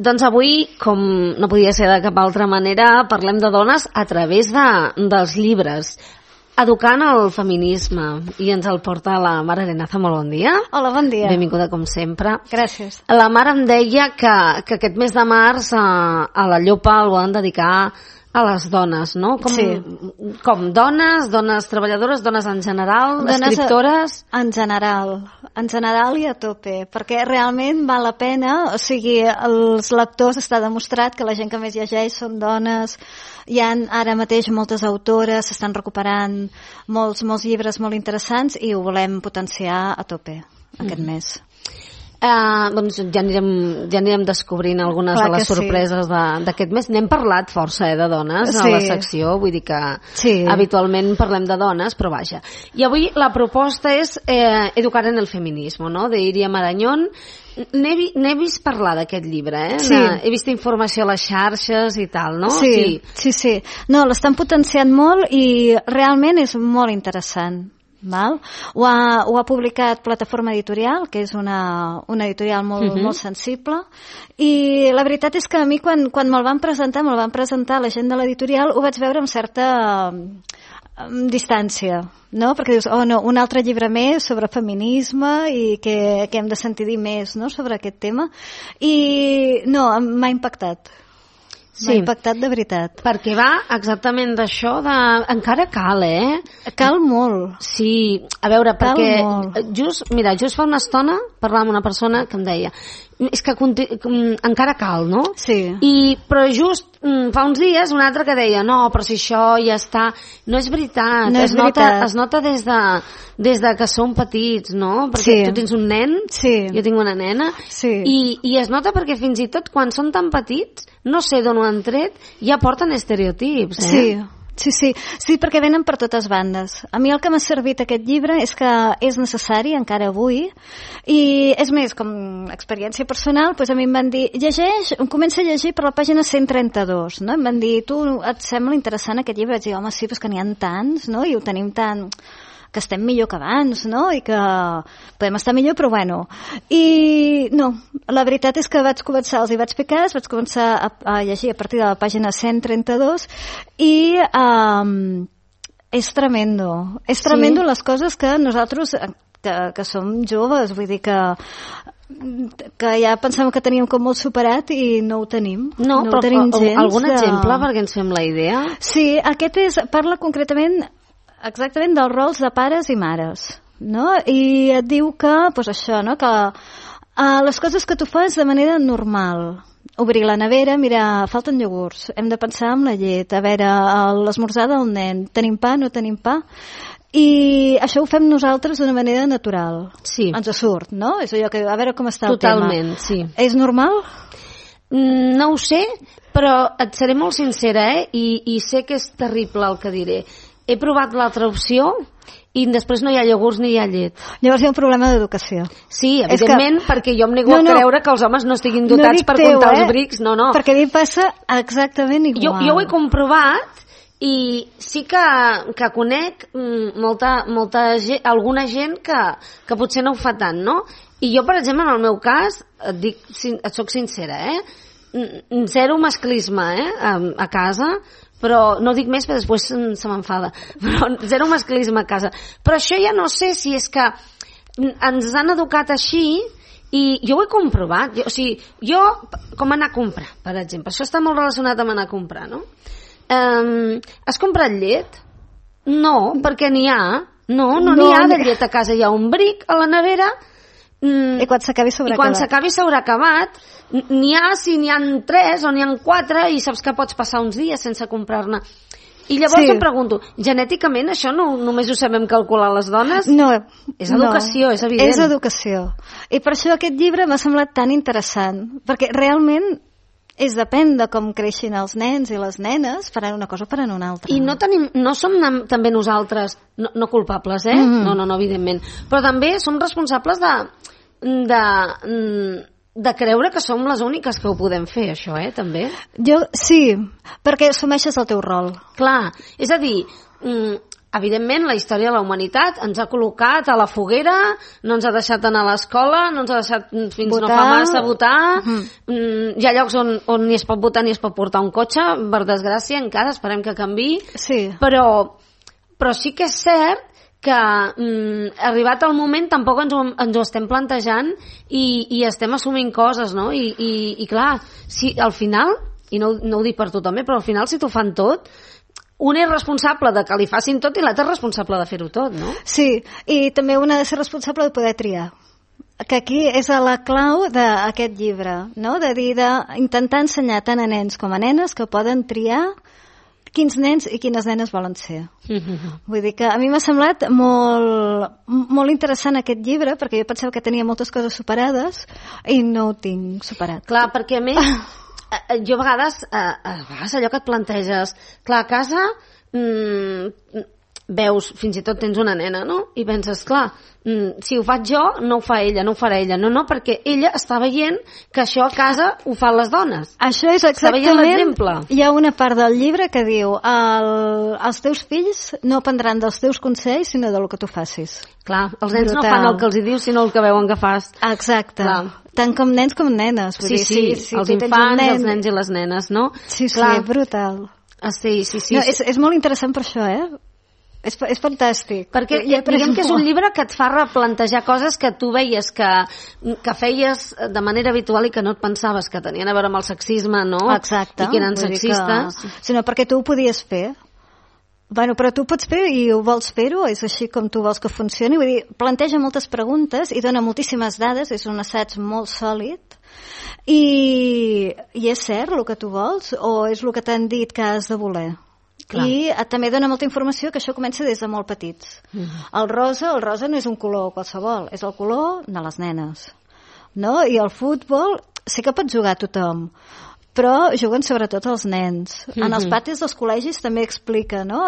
Doncs avui, com no podia ser de cap altra manera, parlem de dones a través dels llibres. Educant el feminisme, i ens el porta la Mar Arenaza. Molt bon dia. Hola, bon dia. Benvinguda com sempre. Gràcies. La Mar em deia que aquest mes de març a la Llopa el volen dedicar a les dones, no? Com dones treballadores, dones en general, escriptores... En general i a tope, perquè realment val la pena, o sigui, els lectors està demostrat que la gent que més llegeix són dones, hi ha ara mateix moltes autores, s'estan recuperant molts llibres molt interessants i ho volem potenciar a tope aquest mes. Doncs ja anirem descobrint algunes de les sorpreses d'aquest mes. N'hem parlat força de dones a la secció, vull dir que habitualment parlem de dones, però vaja. I avui la proposta és Educar en el feminismo, no?, de Iria Marañón. N'he vist parlar d'aquest llibre, he vist informació a les xarxes i tal, no? Sí. No, l'estan potenciant molt i realment és molt interessant. Ho ha publicat Plataforma Editorial, que és una editorial molt sensible, i la veritat és que a mi quan me'l van presentar la gent de l'editorial, ho vaig veure amb certa distància, no? Perquè dius, oh no, un altre llibre més sobre feminisme i que hem de sentir dir més, no?, sobre aquest tema, i no, m'ha impactat. M'ha impactat de veritat. Perquè va exactament d'això de... Encara cal, Cal molt. Sí, a veure, perquè just fa una estona parlava amb una persona que em deia és que encara cal, no? Sí. Però just fa uns dies un altre que deia no, però si això ja està... No és veritat. No és veritat. Es nota des de que som petits, no? Perquè tu tens un nen, jo tinc una nena, i es nota perquè fins i tot quan són tan petits, no sé d'on ho han tret, ja porten estereotips, Sí, perquè venen per totes bandes. A mi el que m'ha servit aquest llibre és que és necessari encara avui, i és més, com experiència personal, doncs a mi em van dir, comença a llegir per la pàgina 132, no? Em van dir, tu et sembla interessant aquest llibre? Vaig dir, home, sí, però és que n'hi ha tants, no? I ho tenim tant... que estem millor que abans, no? I que podem estar millor, però bueno. I no, la veritat és que vaig començar, els hi vaig fer cas, vaig començar a llegir a partir de la pàgina 132 i és tremendo. És tremendo les coses que nosaltres, que som joves, vull dir que ja pensàvem que teníem com molt superat i no ho tenim. No, ho tenim gens. Algun exemple perquè ens fem la idea? Sí, aquest parla concretament exactament dels rols de pares i mares, no? I et diu que, doncs això, no?, que les coses que tu fas de manera normal, obrir la nevera, mira, falten iogurts, hem de pensar en la llet, a veure, l'esmorzar del nen, tenim pa, no tenim pa, i això ho fem nosaltres d'una manera natural. Sí. Ens surt, no? És allò que, a veure com està el Totalment, tema. Sí. És normal? No ho sé, però et seré molt sincera, i sé que és terrible el que diré. He provat l'altra opció i després no hi ha iogurts ni hi ha llet. Llavors hi ha un problema d'educació. Sí, evidentment, perquè jo em nego a creure que els homes no estiguin dotats per comptar els brics. No. Perquè a mi passa exactament igual. Jo ho he comprovat i sí que conec alguna gent que potser no ho fa tant, no? I jo, per exemple, en el meu cas, et soc sincera, zero masclisme a casa, però no dic més perquè després se m'enfada, però zero masclisme a casa. Però això ja no sé si és que ens han educat així i jo ho he comprovat. Jo com anar a comprar, per exemple, això està molt relacionat amb anar a comprar, no? Has comprat llet? No, perquè n'hi ha. No n'hi ha de llet a casa, hi ha un bric a la nevera. I quan s'acabi s'haurà acabat, n'hi ha si n'hi ha 3 o n'hi ha 4 i saps que pots passar uns dies sense comprar-ne. I llavors em pregunto, genèticament això només ho sabem calcular les dones? No. És educació, és evident. És educació. I per això aquest llibre m'ha semblat tan interessant, perquè realment depèn de com creixin els nens i les nenes, faran una cosa o faran una altra. I no som també nosaltres no culpables, No, evidentment. Però també som responsables de creure que som les úniques que ho podem fer, això, també. Sí, perquè assumeixes el teu rol. Clar, és a dir, evidentment, la història de la humanitat ens ha col·locat a la foguera, no ens ha deixat anar a l'escola, no ens ha deixat fins votar. No fa massa votar, hi ha llocs on ni es pot votar ni es pot portar un cotxe, per desgràcia, encara, esperem que canviï, però sí que és cert que arribat el moment tampoc ens ho estem plantejant i estem assumint coses, no? I clar, si al final, i no ho dic per tu també, però al final si t'ho fan tot, un és responsable de que li facin tot i l'altre és responsable de fer-ho tot, no? Sí, i també un ha de ser responsable de poder triar, que aquí és la clau d'aquest llibre, no? D'intentar ensenyar tant a nens com a nenes que poden triar quins nens i quines nenes volen ser. Vull dir que a mi m'ha semblat molt interessant aquest llibre, perquè jo pensava que tenia moltes coses superades i no ho tinc superat. Clar, perquè a més, jo a vegades allò que et planteges, clar, a casa veus, fins i tot tens una nena, no? I penses, clar, si ho faig jo, no ho fa ella, no ho farà ella. No, perquè ella està veient que això a casa ho fan les dones. Això és exactament... Hi ha una part del llibre que diu els teus fills no aprendran dels teus consells, sinó del que tu facis. Clar, els nens no fan el que els hi dius, sinó el que veuen que fas. Exacte. Clar. Tant com nens com nenes. Sí, els infants, els nens i les nenes, no? Sí, brutal. Sí. No, és molt interessant per això, És fantàstic. Perquè diguem que és un llibre que et fa replantejar coses que tu veies que feies de manera habitual i que no et pensaves que tenien a veure amb el sexisme, no? Exacte. I que eren sexistes. Sinó perquè tu ho podies fer. Bueno, però tu pots fer i ho vols fer-ho, és així com tu vols que funcioni. Vull dir, planteja moltes preguntes i dona moltíssimes dades, és un assaig molt sòlid. I és cert el que tu vols o és el que t'han dit que has de voler? Clar. I també dona molta informació que això comença des de molt petits. El rosa no és un color qualsevol, és el color de les nenes, no? I el futbol sí que pot jugar tothom, però juguen sobretot els nens. En els patis dels col·legis també explica, no?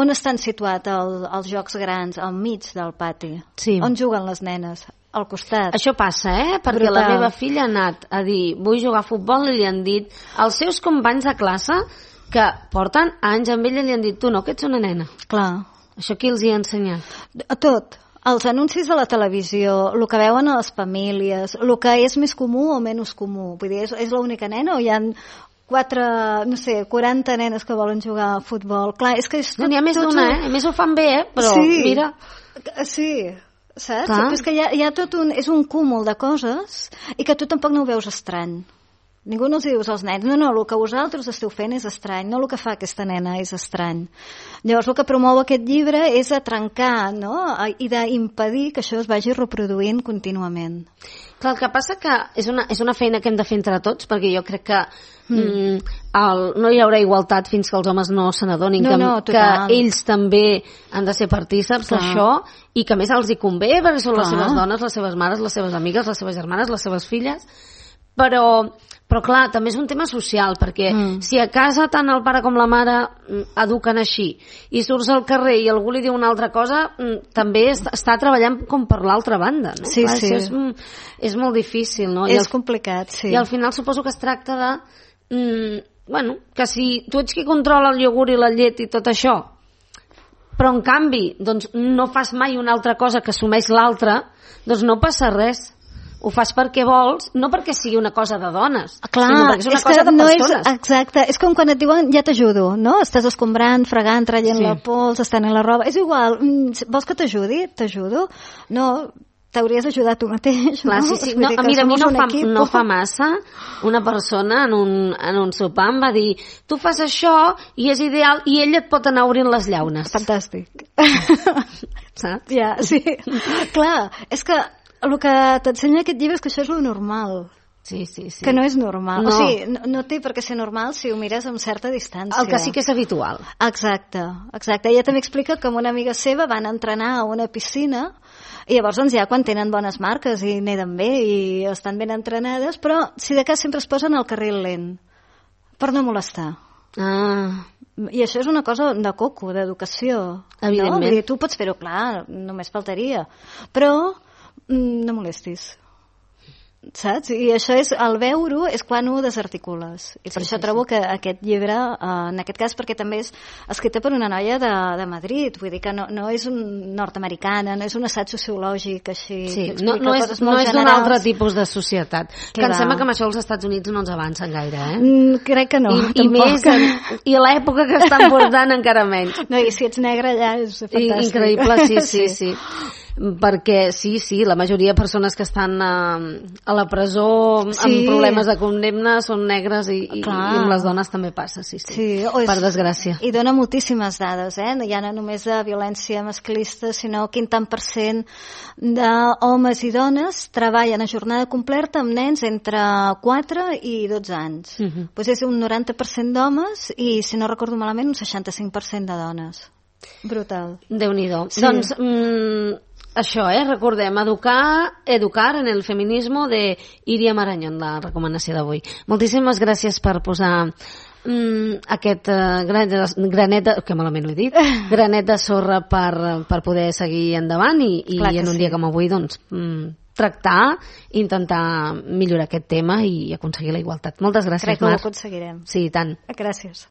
On estan situats els jocs grans, al mig del pati. Sí. On juguen les nenes? Al costat. Això passa, perquè la meva filla ha anat a dir vull jugar a futbol i li han dit els seus companys de classe que porten anys amb ella li han dit tu no, que ets una nena. Clar. Això qui els hi ha ensenyat? Tot. Els anuncis de la televisió, el que veuen a les famílies, el que és més comú o menys comú. Vull dir, és l'única nena o hi ha 40 nenes que volen jugar a futbol? Clar, és que és tot, n'hi ha més d'una, A més ho fan bé, però mira... Sí, saps? Però és que hi ha tot és un cúmul de coses i que tu tampoc no ho veus estrany. Ningú no els dius als nens, no, el que vosaltres esteu fent és estrany, no el que fa aquesta nena és estrany. Llavors el que promou aquest llibre és a trencar, no?, i d'impedir que això es vagi reproduint contínuament. Clar, el que passa que és una feina que hem de fer entre tots, perquè jo crec que no hi haurà igualtat fins que els homes no se n'adonin que ells també han de ser partíceps d'això i que a més els hi convé perquè són les seves dones, les seves mares, les seves amigues, les seves germanes, les seves filles, però clar, també és un tema social, perquè si a casa tant el pare com la mare eduquen així i surts al carrer i algú li diu una altra cosa, també està treballant com per l'altra banda, no? Sí, clar, sí. Això és molt difícil, no? És complicat, sí. I al final suposo que es tracta de que si tu ets qui controla el iogurt i la llet i tot això, però en canvi doncs no fas mai una altra cosa que assumeix l'altra, doncs no passa res. Ho fas perquè vols, no perquè sigui una cosa de dones, sinó perquè és una cosa de persones. Exacte, és com quan et diuen ja t'ajudo, no? Estàs escombrant, fregant, traient la pols, estant en la roba, és igual, vols que t'ajudi? T'ajudo? No, t'hauries d'ajudar tu mateix, clar, no? Sí. No, mira, a mi no fa massa una persona en un sopar em va dir tu fas això i és ideal i ella et pot anar obrint les llaunes. Fantàstic. Saps? Ja, sí. Clar, és que el que t'ensenya aquest llibre és que això és lo normal. Sí. Que no és normal. No. O sigui, no té per què ser normal si ho mires amb certa distància. El que sí que és habitual. Exacte. Ella també explica que amb una amiga seva van entrenar a una piscina i llavors doncs ja quan tenen bones marques i neden bé i estan ben entrenades, però si de cas sempre es posen al carril lent per no molestar. I això és una cosa de coco, d'educació. Evidentment. No? Vull dir, tu pots fer-ho, clar, només faltaria. Però no molestis. saps? I això és, el veure-ho és quan ho desarticules. I per això trobo que aquest llibre, en aquest cas, perquè també és escrita per una noia de Madrid, vull dir que no és nord-americana, no és un assaig sociològic així, sí, que explica coses no molt és d'un altre tipus de societat. Que em sembla que amb això els Estats Units no ens avancen gaire, crec que no, I més, i l'època que estan portant encara menys. No, i si ets negre ja és fantàstic. Increïble, sí. Perquè sí, la majoria de persones que estan a la presó amb problemes de condemna són negres i amb les dones també passa, sí. Per desgràcia. I dona moltíssimes dades, ja no només de violència masclista, sinó quin tant % d'homes i dones treballen a jornada completa amb nens entre 4 i 12 anys. Doncs és un 90% d'homes i, si no recordo malament, un 65% de dones. Brutal. Déu-n'hi-do. Sí. Doncs això, recordem, educar en el feminismo de Iria Marañón, la recomanació d'avui. Moltíssimes gràcies per posar aquest granet que malament ho he dit, granet de sorra per poder seguir endavant i en un dia com avui doncs tractar, intentar millorar aquest tema i aconseguir la igualtat. Moltes gràcies, Mar. Crec que ho aconseguirem. Sí, i tant. Gràcies.